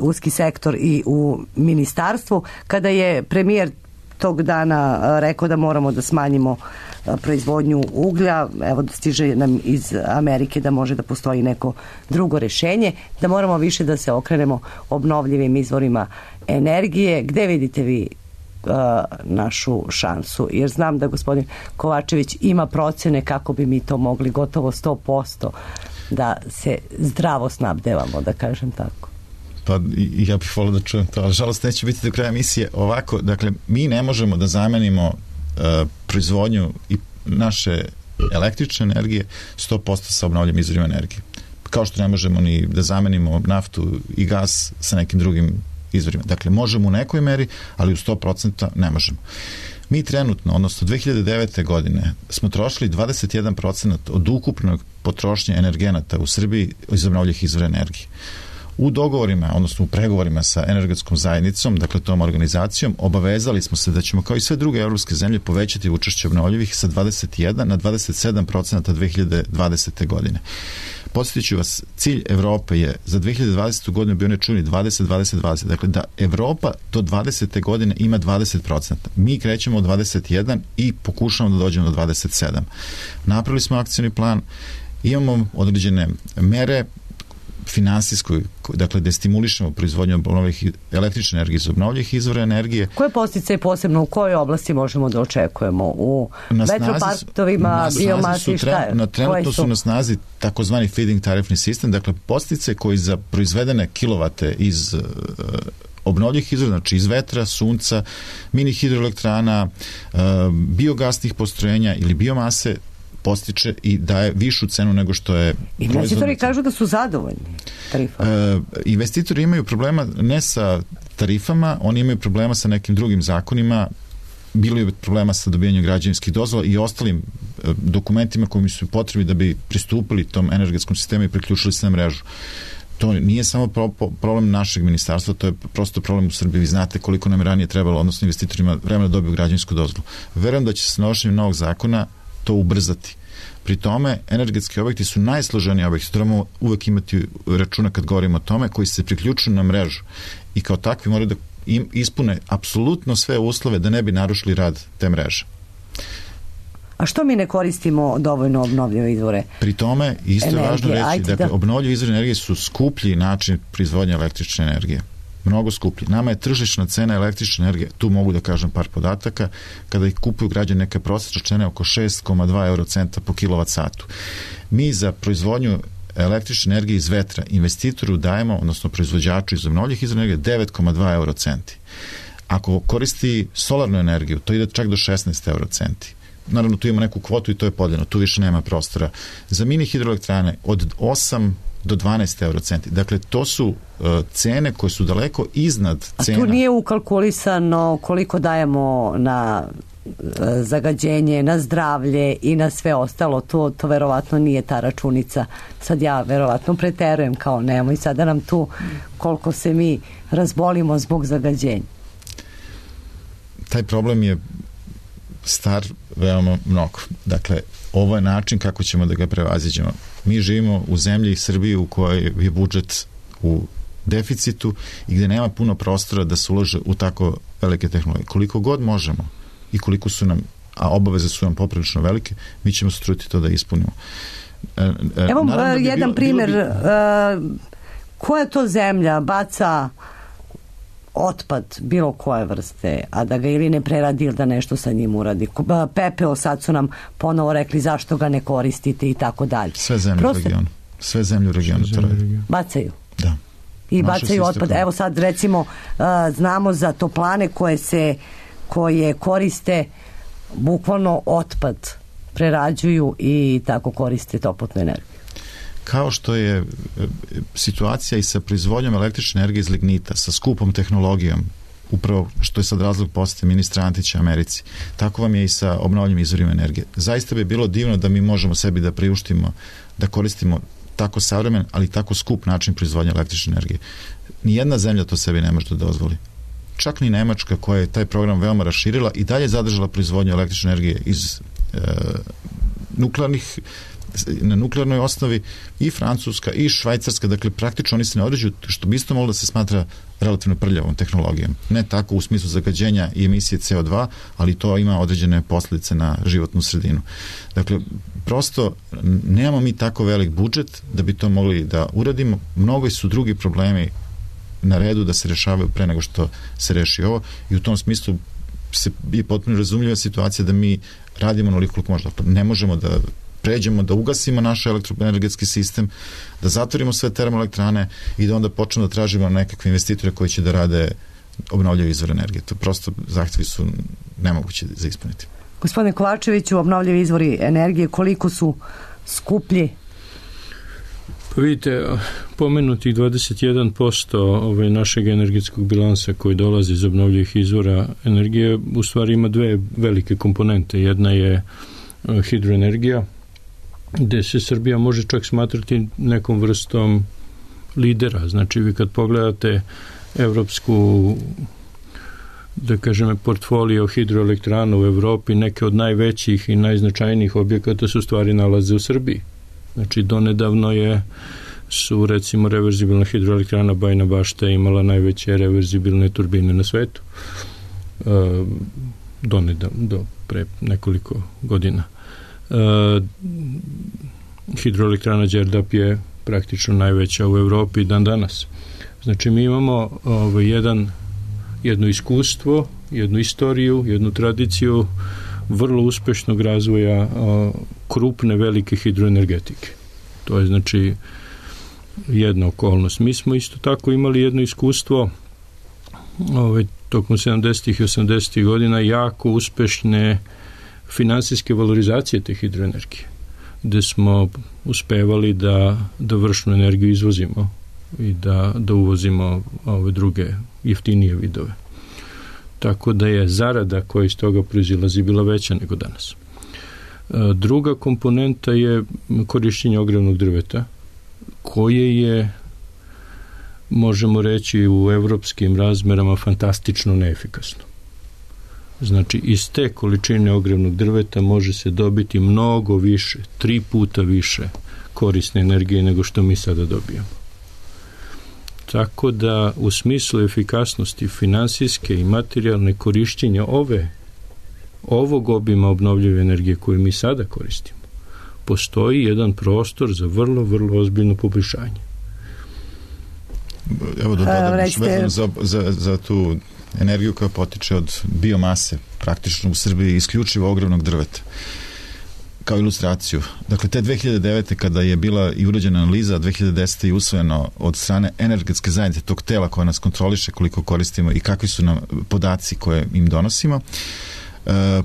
uski sektor i u ministarstvu. Kada je premijer tog dana rekao da moramo da smanjimo proizvodnju uglja, evo stiže nam iz Amerike da može da postoji neko drugo rešenje, da moramo više da se okrenemo obnovljivim izvorima energije. Gde vidite vi našu šansu? Jer znam da gospodin Kovačević ima procene kako bi mi to mogli gotovo 100% da se zdravo snabdevamo, da kažem tako. Pa ja bih volio da čujem to, ali žalost neće biti do kraja emisije ovako. Dakle, mi ne možemo da zamenimo proizvodnju i naše električne energije 100% sa obnovljivim izvorima energije. Kao što ne možemo ni da zamenimo naftu i gas sa nekim drugim izvorima. Dakle, možemo u nekoj meri, ali u 100% ne možemo. Mi trenutno, odnosno 2009. godine, smo trošili 21% od ukupnog potrošnje energenata u Srbiji iz obnovljivih izvora energije. U dogovorima, odnosno u pregovorima sa energetskom zajednicom, dakle tom organizacijom, obavezali smo se da ćemo kao i sve druge evropske zemlje povećati učešće obnovljivih sa 21 na 27% 2020. godine. Podsjetit ću vas, cilj Evrope je za 2020. godinu bio nečuni 20-20-20. Dakle, da Evropa do 20. godine ima 20%. Mi krećemo od 21 i pokušamo da dođemo do 27. Napravili smo akcioni plan, imamo određene mere finansijskoj, dakle da stimulišemo proizvodnju obnovljivih električne energije iz obnovljivih izvora energije. Koje posticaje posebno u kojoj oblasti možemo da očekujemo? U vetroparkovima, biomasi, šta? Trenutno su na snazi takozvani feeding tarifni sistem, dakle posticaje koji za proizvedene kilovate iz obnovljivih izvora, znači iz vetra, sunca, mini hidroelektrana, biogasnih postrojenja ili biomase postiče i daje višu cenu nego što je proizvodno. Investitori kažu da su zadovoljni tarifama. Investitori imaju problema ne sa tarifama, oni imaju problema sa nekim drugim zakonima, bilo je problema sa dobijanjem građevinskih dozvola i ostalim dokumentima koji su potrebni da bi pristupili tom energetskom sistemu i priključili se na mrežu. To nije samo problem našeg ministarstva, to je prosto problem u Srbiji. Vi znate koliko nam je ranije trebalo, odnosno investitorima, vremena da dobiju građevinsku dozvolu. Verujem da će se donošenjem novog zakona to ubrzati. Pri tome, energetski objekti su najsloženiji objekti, trebamo uvek imati računa kad govorimo o tome, koji se priključuju na mrežu i kao takvi moraju da ispune apsolutno sve uslove da ne bi narušili rad te mreže. A što mi ne koristimo dovoljno obnovljive izvore? Pri tome, isto je važno reći, dakle, obnovljive izvore energije su skuplji način proizvodnja električne energije. Mnogo skuplji. Nama je tržišna cena električne energije, tu mogu da kažem par podataka, kada ih kupuju građani, neka prosječna cena oko 6,2 eurocenta po kilovat satu. Mi za proizvodnju električne energije iz vetra investitoru dajemo, odnosno proizvođaču iz obnovljivih izvora energije 9,2 eurocenti. Ako koristi solarnu energiju, to ide čak do 16 eurocenti. Naravno, tu ima neku kvotu i to je podeljeno, tu više nema prostora. Za mini hidroelektrane od 8 do 12 eurocenti. Dakle, to su cene koje su daleko iznad cena. A tu nije ukalkulisano koliko dajemo na zagađenje, na zdravlje i na sve ostalo, to verovatno nije ta računica. Sad ja verovatno preterujem, kao nemoj sada nam tu koliko se mi razbolimo zbog zagađenja. Taj problem je star veoma mnogo. Dakle, ovo je način kako ćemo da ga prevaziđemo. Mi živimo u zemlji Srbiji u kojoj je budžet u deficitu i gde nema puno prostora da se ulože u tako velike tehnologije. Koliko god možemo i koliko su nam, a obaveze su nam poprilično velike, mi ćemo se truditi to da ispunimo. Evo jedan primjer, koja to zemlja baca otpad bilo koje vrste, a da ga ili ne preradi ili da nešto sa njim uradi. Pepeo, sad su nam ponovo rekli zašto ga ne koristite i tako dalje. Sve zemlje u regionu. Sve zemlje u regionu to radi. Bacaju. Da. I bacaju otpad. Evo sad recimo znamo za toplane koje koriste bukvalno otpad, prerađuju i tako koriste toplotnu energiju. Kao što je situacija i sa proizvodnjom električne energije iz lignita, sa skupom tehnologijom, upravo što je sad razlog posete ministra Antića Americi, tako vam je i sa obnovljivim izvorima energije. Zaista bi bilo divno da mi možemo sebi da priuštimo, da koristimo tako savremen, ali tako skup način proizvodnje električne energije. Nijedna zemlja to sebi ne može da dozvoli. Čak ni Nemačka, koja je taj program veoma raširila i dalje zadržala proizvodnju električne energije iz na nuklearnoj osnovi, i Francuska i Švajcarska, dakle praktično oni se ne određuju, što bi isto moglo da se smatra relativno prljavom tehnologijom. Ne tako u smislu zagađenja i emisije CO2, ali to ima određene posljedice na životnu sredinu. Dakle, prosto nemamo mi tako velik budžet da bi to mogli da uradimo. Mnogo su drugi problemi na redu da se rešavaju pre nego što se reši ovo i u tom smislu je potpuno razumljiva situacija da mi radimo onoliko koliko možda. Ne možemo da pređemo, da ugasimo naš elektroenergetski sistem, da zatvorimo sve termoelektrane i da onda počnemo da tražimo nekakve investitore koji će da rade obnovljive izvore energije. To prosto zahtevi su nemogući za ispuniti. Gospodine Kovačeviću, obnovljivi izvori energije koliko su skuplji? Pa vidite, pomenutih 21% našeg energetskog bilansa koji dolazi iz obnovljivih izvora energije u stvari ima dve velike komponente. Jedna je hidroenergija, gde se Srbija može čak smatrati nekom vrstom lidera. Znači, vi kad pogledate evropsku, da kažem, portfolio hidroelektrana u Evropi, neke od najvećih i najznačajnijih objekata su stvari nalaze u Srbiji. Znači, donedavno su recimo reverzibilna hidroelektrana Bajina Bašta imala najveće reverzibilne turbine na svetu. Donedavno, do pre nekoliko godina. Hidroelektrana Đerdap je praktično najveća u Evropi dan danas. Znači, mi imamo jedno iskustvo, jednu istoriju, jednu tradiciju vrlo uspešnog razvoja krupne velike hidroenergetike. To je znači jedna okolnost. Mi smo isto tako imali jedno iskustvo tokom 70. i 80. godina jako uspešne finansijske valorizacije te hidroenergije, gde smo uspevali da vršnu energiju izvozimo i da uvozimo ove druge jeftinije vidove. Tako da je zarada koja iz toga proizilazi bila veća nego danas. Druga komponenta je korišćenje ogrevnog drveta, koje je, možemo reći, u evropskim razmerama fantastično neefikasno. Znači, iz te količine ogrevnog drveta može se dobiti mnogo više, 3 puta više korisne energije nego što mi sada dobijamo. Tako da, u smislu efikasnosti finansijske i materijalne korišćenja ovog obima obnovljive energije koju mi sada koristimo, postoji jedan prostor za vrlo, vrlo ozbiljno poboljšanje. Evo da dodam vezano za tu energiju koja potiče od biomase, praktično u Srbiji isključivo ogrevnog drveta. Kao ilustraciju. Dakle, te 2009. kada je bila i urađena analiza, 2010. je usvojeno od strane energetske zajednice, tog tela koja nas kontroliše koliko koristimo i kakvi su nam podaci koje im donosimo.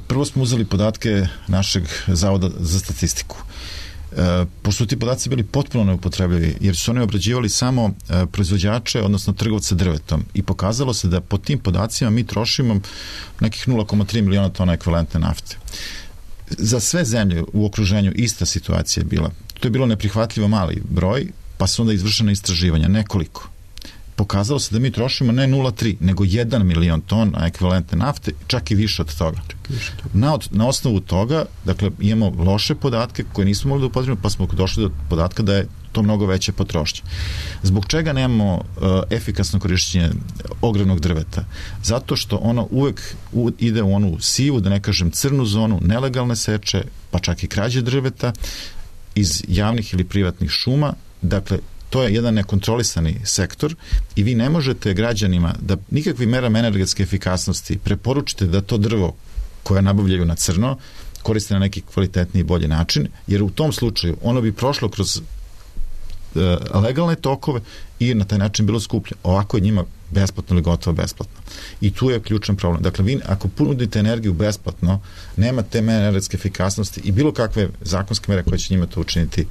Prvo smo uzeli podatke našeg Zavoda za statistiku pošto ti podaci bili potpuno neupotrebljivi, jer su oni obrađivali samo proizvođače, odnosno trgovce drvetom, i pokazalo se da po tim podacima mi trošimo nekih 0,3 miliona tona ekvivalentne nafte. Za sve zemlje u okruženju ista situacija je bila. To je bilo neprihvatljivo mali broj, pa su onda izvršene istraživanja, nekoliko. Pokazalo se da mi trošimo ne 0,3, nego 1 milion tona ekvivalentne nafte, čak i više od toga. Na osnovu toga, dakle, imamo loše podatke koje nismo mogli da upotrebimo, pa smo došli do podatka da je to mnogo veće potrošnje. Zbog čega nemamo efikasno korišćenje ogrevnog drveta? Zato što ono uvek ide u onu sivu, da ne kažem crnu zonu, nelegalne seče, pa čak i krađe drveta iz javnih ili privatnih šuma. Dakle, to je jedan nekontrolisani sektor i vi ne možete građanima da nikakvim merama energetske efikasnosti preporučite da to drvo koje nabavljaju na crno koriste na neki kvalitetniji i bolji način, jer u tom slučaju ono bi prošlo kroz legalne tokove i na taj način bilo skuplje. Ovako je njima besplatno ili gotovo besplatno. I tu je ključan problem. Dakle, vi ako ponudite energiju besplatno, nema te mere energetske efikasnosti i bilo kakve zakonske mere koje će njima to učiniti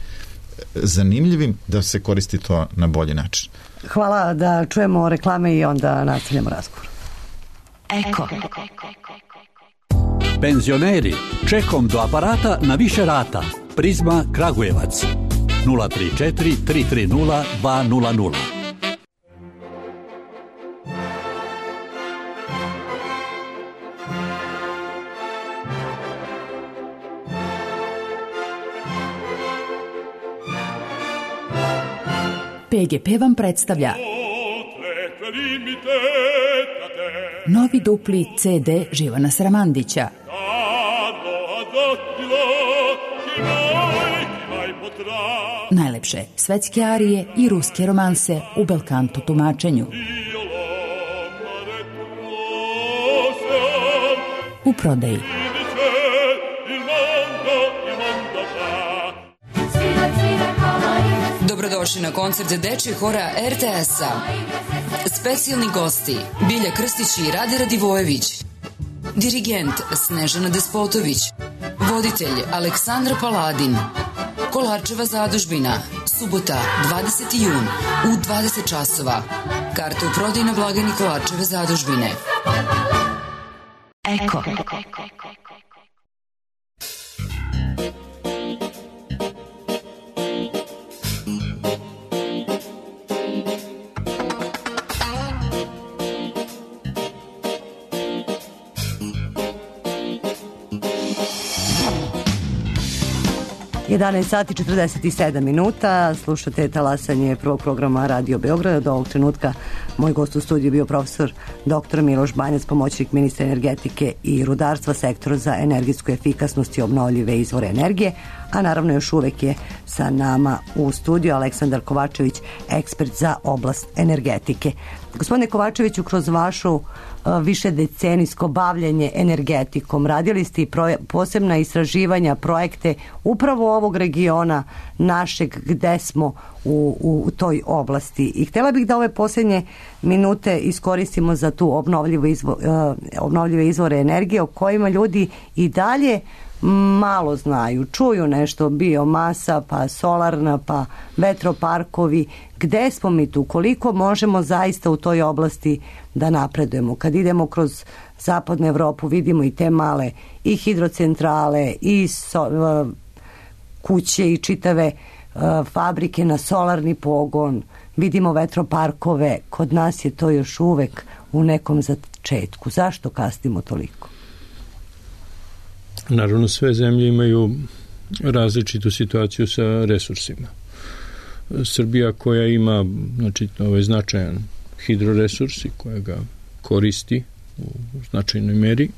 zanimljivim da se koristi to na bolji način. Hvala, da čujemo reklame i onda nastavljamo razgovor. Eko. Penzioneri, čekom do aparata na više rata. Prizma Kragujevac 034 330 200. PGP vam predstavlja novi dupli CD Živana Sramandića. Najlepše svetske arije i ruske romanse u belkanto tumačenju. U prodaji. Dobrodošli na koncert dečjeg hora RTS-a. Specijalni gosti Bilja Krstić i Rade Radivojević. Dirigent Snežana Despotović. Voditelj Aleksandar Paladin. Kolarčeva zadužbina. Subota, 20. jun u 20 časova. Karte u prodaji na blagajni Kolarčeve zadužbine. Eko. 11 sati 47 minuta, slušate talasanje prvog programa Radio Beograda. Do ovog trenutka moj gost u studiju bio profesor dr. Miloš Banjac, pomoćnik ministra energetike i rudarstva, sektora za energetsku efikasnost i obnovljive izvore energije, a naravno još uvek je sa nama u studiju Aleksandar Kovačević, ekspert za oblast energetike. Gospodine Kovačeviću, kroz vašu više decenijsko bavljenje energetikom radili ste i posebna istraživanja, projekte upravo ovog regiona našeg gde smo u toj oblasti. I htjela bih da ove posljednje minute iskoristimo za tu obnovljive izvore energije o kojima ljudi i dalje malo znaju. Čuju nešto, biomasa, pa solarna, pa vetroparkovi. Gde smo mi tu? Koliko možemo zaista u toj oblasti da napredujemo? Kad idemo kroz zapadnu Evropu vidimo i te male i hidrocentrale i kuće i čitave fabrike na solarni pogon. Vidimo vetroparkove. Kod nas je to još uvek u nekom začetku. Zašto kasnimo toliko? Naravno, sve zemlje imaju različitu situaciju sa resursima. Srbija koja ima, znači, ovaj značajan hidroresurs i koja ga koristi u značajnoj meri,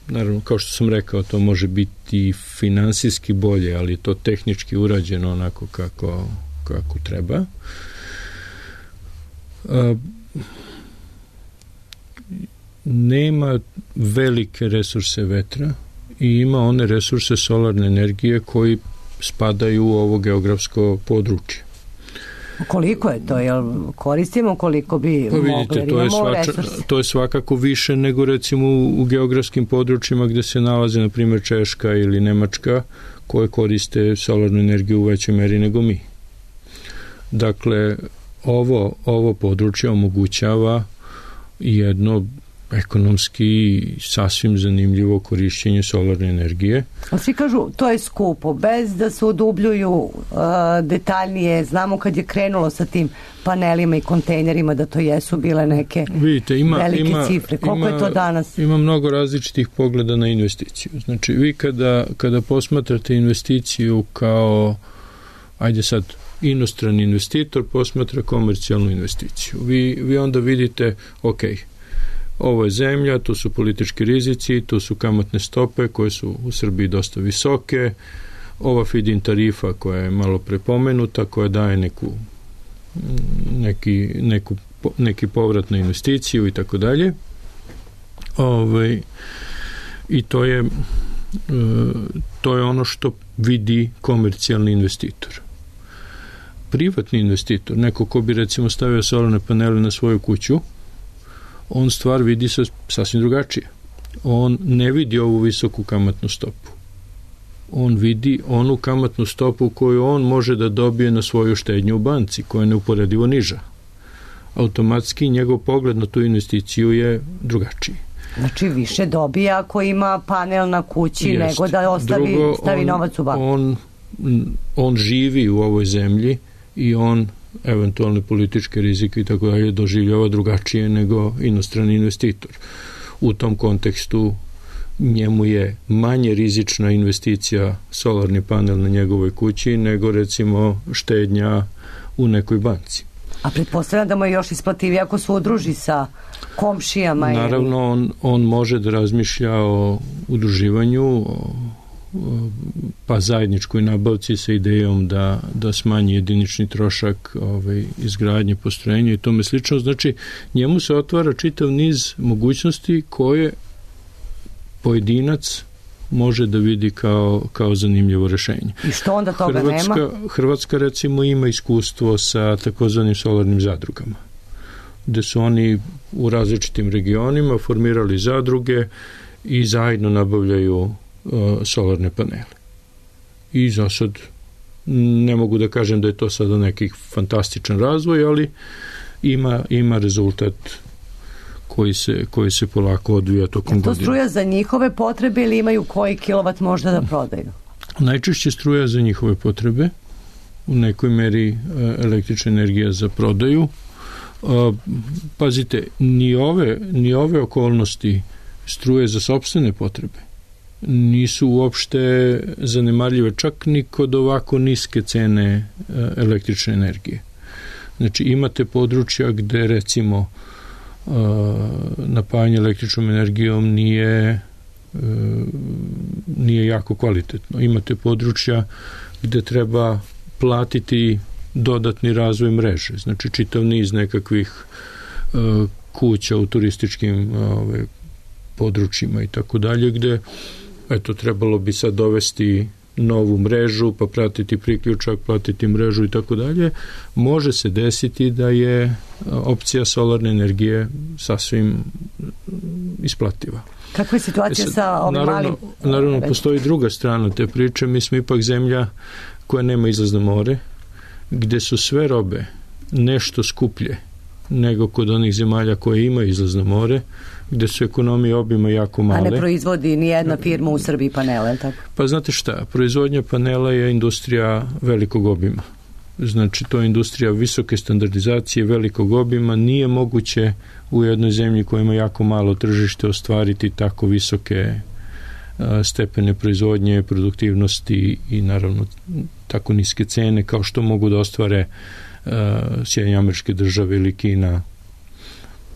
naravno, kao što sam rekao, to može biti finansijski bolje, ali je to tehnički urađeno onako kako treba. Nema velike resurse vetra i ima one resurse solarne energije koji spadaju u ovo geografsko područje. Koliko je to? Jel koristimo koliko bi mogli? To je svakako više nego recimo u geografskim područjima gde se nalaze, na primjer, Češka ili Nemačka, koje koriste solarnu energiju u većoj meri nego mi. Dakle, ovo područje omogućava jedno ekonomski sasvim zanimljivo korišćenje solarne energije. A svi kažu to je skupo, bez da se odubljuju detaljnije. Znamo kad je krenulo sa tim panelima i kontejnerima da to jesu bile neke velike cifre. Koliko je to danas? Ima mnogo različitih pogleda na investiciju. Znači, vi kada posmatrate investiciju kao, ajde sad, inostrani investitor posmatra komercijalnu investiciju. Vi onda vidite, ovo je zemlja, tu su politički rizici, tu su kamatne stope koje su u Srbiji dosta visoke, ova feed-in tarifa koja je malo prepomenuta, koja daje neki povrat na investiciju i tako dalje. I to je ono što vidi komercijalni investitor. Privatni investitor, neko ko bi recimo stavio solarne panele na svoju kuću, on stvar vidi sasvim drugačije. On ne vidi ovu visoku kamatnu stopu. On vidi onu kamatnu stopu koju on može da dobije na svoju štednju u banci, koja je neuporedivo niža. Automatski njegov pogled na tu investiciju je drugačiji. Znači više dobija ako ima panel na kući nego da stavi novac u banku. On živi u ovoj zemlji i on eventualne političke rizike i tako dalje doživljava drugačije nego inostrani investitor. U tom kontekstu njemu je manje rizična investicija solarni panel na njegovoj kući nego recimo štednja u nekoj banci. A pretpostavljam da mu je još isplativije ako se udruži sa komšijama. Naravno, on može da razmišlja o udruživanju, pa zajedničkoj nabavci sa idejom da smanji jedinični trošak izgradnje postrojenja i tome slično. Znači, njemu se otvara čitav niz mogućnosti koje pojedinac može da vidi kao zanimljivo rešenje. I što onda toga nema? Hrvatska recimo ima iskustvo sa takozvanim solarnim zadrugama, gde su oni u različitim regionima formirali zadruge i zajedno nabavljaju solarne panele. I za sad ne mogu da kažem da je to sada neki fantastičan razvoj, ali ima rezultat koji se polako odvija tokom godine. Je to struja za njihove potrebe ili imaju koji kilovat možda da prodaju? Najčešće struja za njihove potrebe, u nekoj meri električna energija za prodaju. Pazite, ni ove okolnosti struje za sopstvene potrebe nisu uopšte zanemarljive, čak ni kod ovako niske cene električne energije. Znači, imate područja gde recimo napajanje električnom energijom nije jako kvalitetno. Imate područja gde treba platiti dodatni razvoj mreže, znači čitav niz nekakvih kuća u turističkim područjima i tako dalje, gde trebalo bi sad dovesti novu mrežu, pa pratiti priključak, platiti mrežu i tako dalje. Može se desiti da je opcija solarne energije sasvim isplativa. Kakva je situacija sa ovim malim? Naravno, postoji druga strana te priče. Mi smo ipak zemlja koja nema izlaz na more, gde su sve robe nešto skuplje nego kod onih zemalja koje imaju izlaz na more, gde su ekonomije obima jako male. A ne proizvodi ni jedna firma u Srbiji panele, tako? Pa znate šta, proizvodnja panela je industrija velikog obima. Znači, to je industrija visoke standardizacije, velikog obima. Nije moguće u jednoj zemlji koja ima jako malo tržište ostvariti tako visoke stepene proizvodnje, produktivnosti i naravno tako niske cene kao što mogu da ostvare Sjedinjene Američke Države ili Kina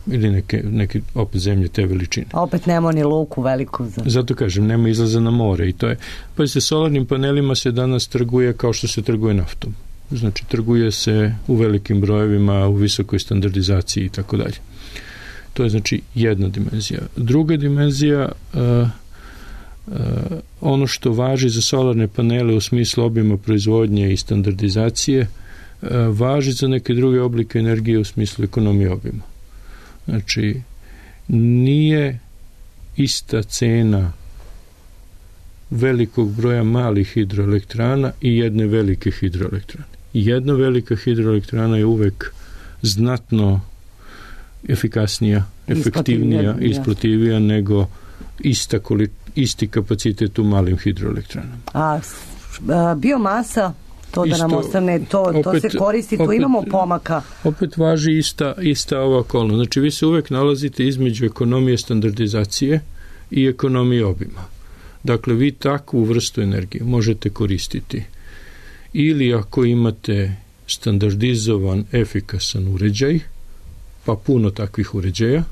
ili neke opet zemlje te veličine. A opet nema ni luku veliku. Zato kažem, nema izlaza na more i to je, pa se solarnim panelima se danas trguje kao što se trguje naftom. Znači, trguje se u velikim brojevima, u visokoj standardizaciji i tako dalje. To je znači jedna dimenzija. Druga dimenzija, ono što važi za solarne panele u smislu obima proizvodnje i standardizacije, važi za neke druge oblike energije u smislu ekonomije obima. Znači, nije ista cena velikog broja malih hidroelektrana i jedne velike hidroelektrane. Jedna velika hidroelektrana je uvek znatno efikasnija, efektivnija, isplativija nego isti kapacitet u malim hidroelektranama. A biomasa, to da nam ostane, to se koristi, tu imamo pomaka. Opet važi ista ova okolnost. Znači, vi se uvek nalazite između ekonomije standardizacije i ekonomije obima. Dakle, vi takvu vrstu energije možete koristiti ili ako imate standardizovan, efikasan uređaj, pa puno takvih uređaja.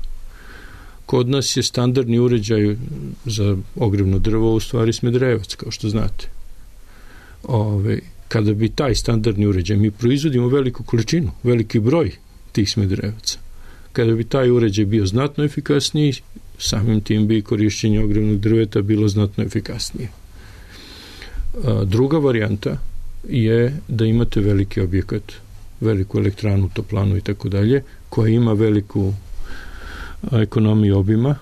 Kod nas je standardni uređaj za ogrevno drvo u stvari smedrevac, kao što znate. Kada bi taj standardni uređaj, mi proizvodimo veliku količinu, veliki broj tih smedrevaca. Kada bi taj uređaj bio znatno efikasniji, samim tim bi korišćenje ogrevnog drveta bilo znatno efikasnije. Druga varijanta je da imate veliki objekat, veliku elektranu, toplanu i tako dalje, koja ima veliku ekonomiju obima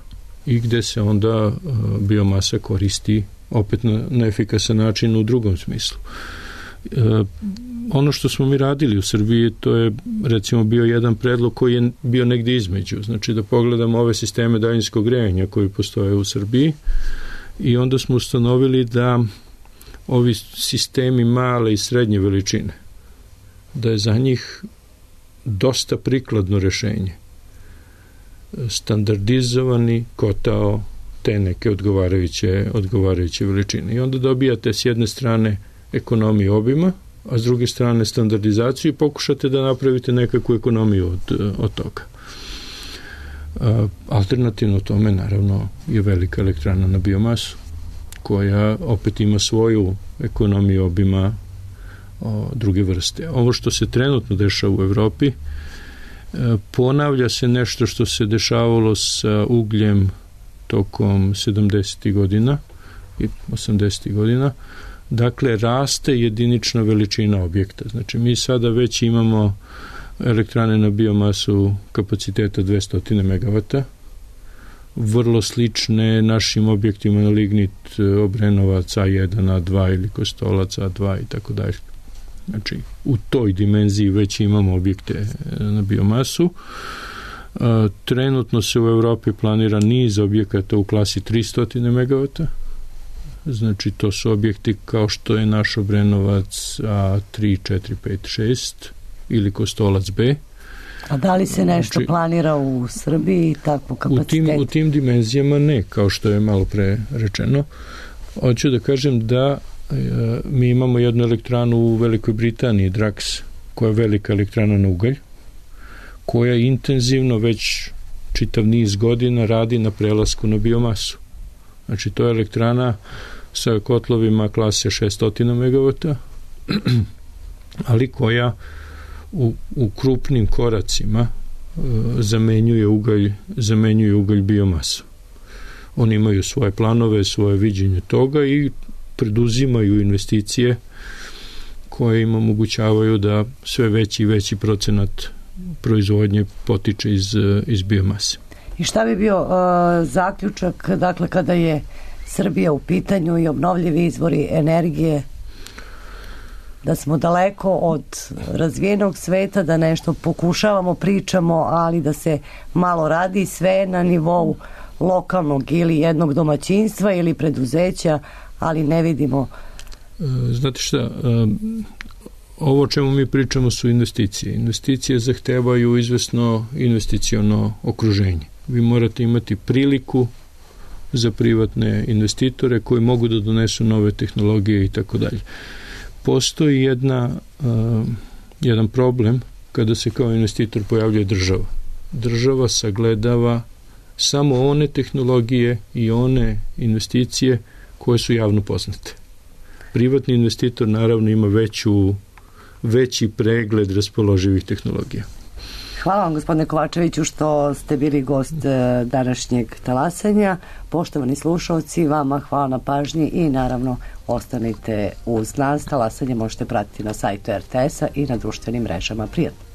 i gde se onda biomasa koristi opet na efikasan način u drugom smislu. Ono što smo mi radili u Srbiji, to je recimo bio jedan predlog koji je bio negdje između, znači da pogledamo ove sisteme daljinskog grejanja koji postoje u Srbiji i onda smo ustanovili da ovi sistemi male i srednje veličine, da je za njih dosta prikladno rešenje standardizovani kotao te neke odgovarajuće veličine. I onda dobijate s jedne strane ekonomiju obima, a s druge strane standardizaciju i pokušate da napravite nekakvu ekonomiju od toga. Alternativno tome, naravno, je velika elektrana na biomasu, koja opet ima svoju ekonomiju obima druge vrste. Ovo što se trenutno dešava u Evropi, ponavlja se nešto što se dešavalo sa ugljem tokom 70. godina i 80. godina. Dakle, raste jedinična veličina objekta. Znači, mi sada već imamo elektrane na biomasu kapaciteta 200 MW, vrlo slične našim objektima na lignit Obrenovac A1, A2 ili Kostolac A2 i tako dalje. Znači, u toj dimenziji već imamo objekte na biomasu. Trenutno se u Evropi planira niz objekata u klasi 300 MW. Znači, to su objekti kao što je naš Obrenovac A3, 4, 5, 6 ili Kostolac B. A da li se nešto planira u Srbiji takvu kapacitet? U tim dimenzijama ne, kao što je malo pre rečeno. Hoću da kažem da mi imamo jednu elektranu u Velikoj Britaniji, Drax, koja je velika elektrana na ugalj, koja intenzivno već čitav niz godina radi na prelasku na biomasu. Znači, to je elektrana sa kotlovima klase 600 MW, ali koja u krupnim koracima zamenjuje ugalj biomasu. Oni imaju svoje planove, svoje viđenje toga i preduzimaju investicije koje im omogućavaju da sve veći i veći procenat proizvodnje potiče iz biomase. I šta bi bio zaključak, dakle, kada je Srbija u pitanju i obnovljivi izvori energije, da smo daleko od razvijenog sveta, da nešto pokušavamo, pričamo, ali da se malo radi sve na nivou lokalnog ili jednog domaćinstva ili preduzeća, ali ne vidimo. Znate šta, ovo o čemu mi pričamo su investicije. Investicije zahtevaju izvesno investiciono okruženje. Vi morate imati priliku za privatne investitore koji mogu da donesu nove tehnologije i tako dalje. Postoji jedan problem kada se kao investitor pojavljuje država. Država sagledava samo one tehnologije i one investicije koje su javno poznate. Privatni investitor naravno ima veći pregled raspoloživih tehnologija. Hvala vam, gospodine Kovačeviću, što ste bili gost današnjeg talasanja. Poštovani slušalci, vama hvala na pažnji i naravno ostanite uz nas. Talasanje možete pratiti na sajtu RTS-a i na društvenim mrežama. Prijatno.